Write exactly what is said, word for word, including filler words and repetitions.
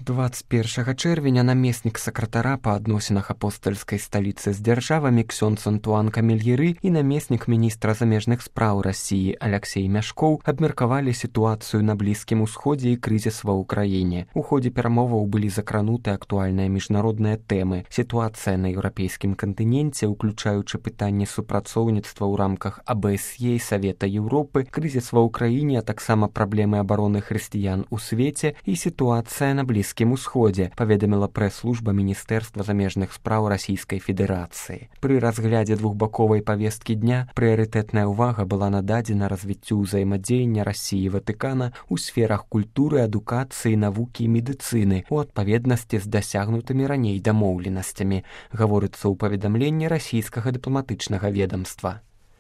двадцать першага чэрвеня намеснік сакратара па адносінах апостальскай сталіцы з дзяржавамі ксёндз Антуан Камельеры і намеснік міністра замежных спраў Расіі Аляксей Мяшкоў абмеркавалі сітуацыю на Блізкім Усходзе і крызіс ва ўкраіне. У ходзе перамоваў былі закрануты актуальныя міжнародныя тэмы. Сітуацыя на еўрапейскім кантыненце, уключаючы пытанні супрацоўніцтва ў рамках А Бэ Эс Е і Савета Еўропы, крызіс ва ўкраіне, а таксама праблемы абароны хрысціян у свеце і сітуацыя на Блізкім Усходзе, паведаміла прэс-служба Міністэрства замежных спраў Расійскай Федэрацыі. Пры разглядзе двухбаковай павесткі дня прыярытэтная ўвага была нададзена развіццю ўзаемадзеяння Расіі і Ватыкана ў сферах культуры, адукацыі, навукі і медыцыны у адпаведнасці з дасягнутымі раней дамоўленасцямі, гаворыцца ў паведамленні расійскага дыпламатычнага ведамства.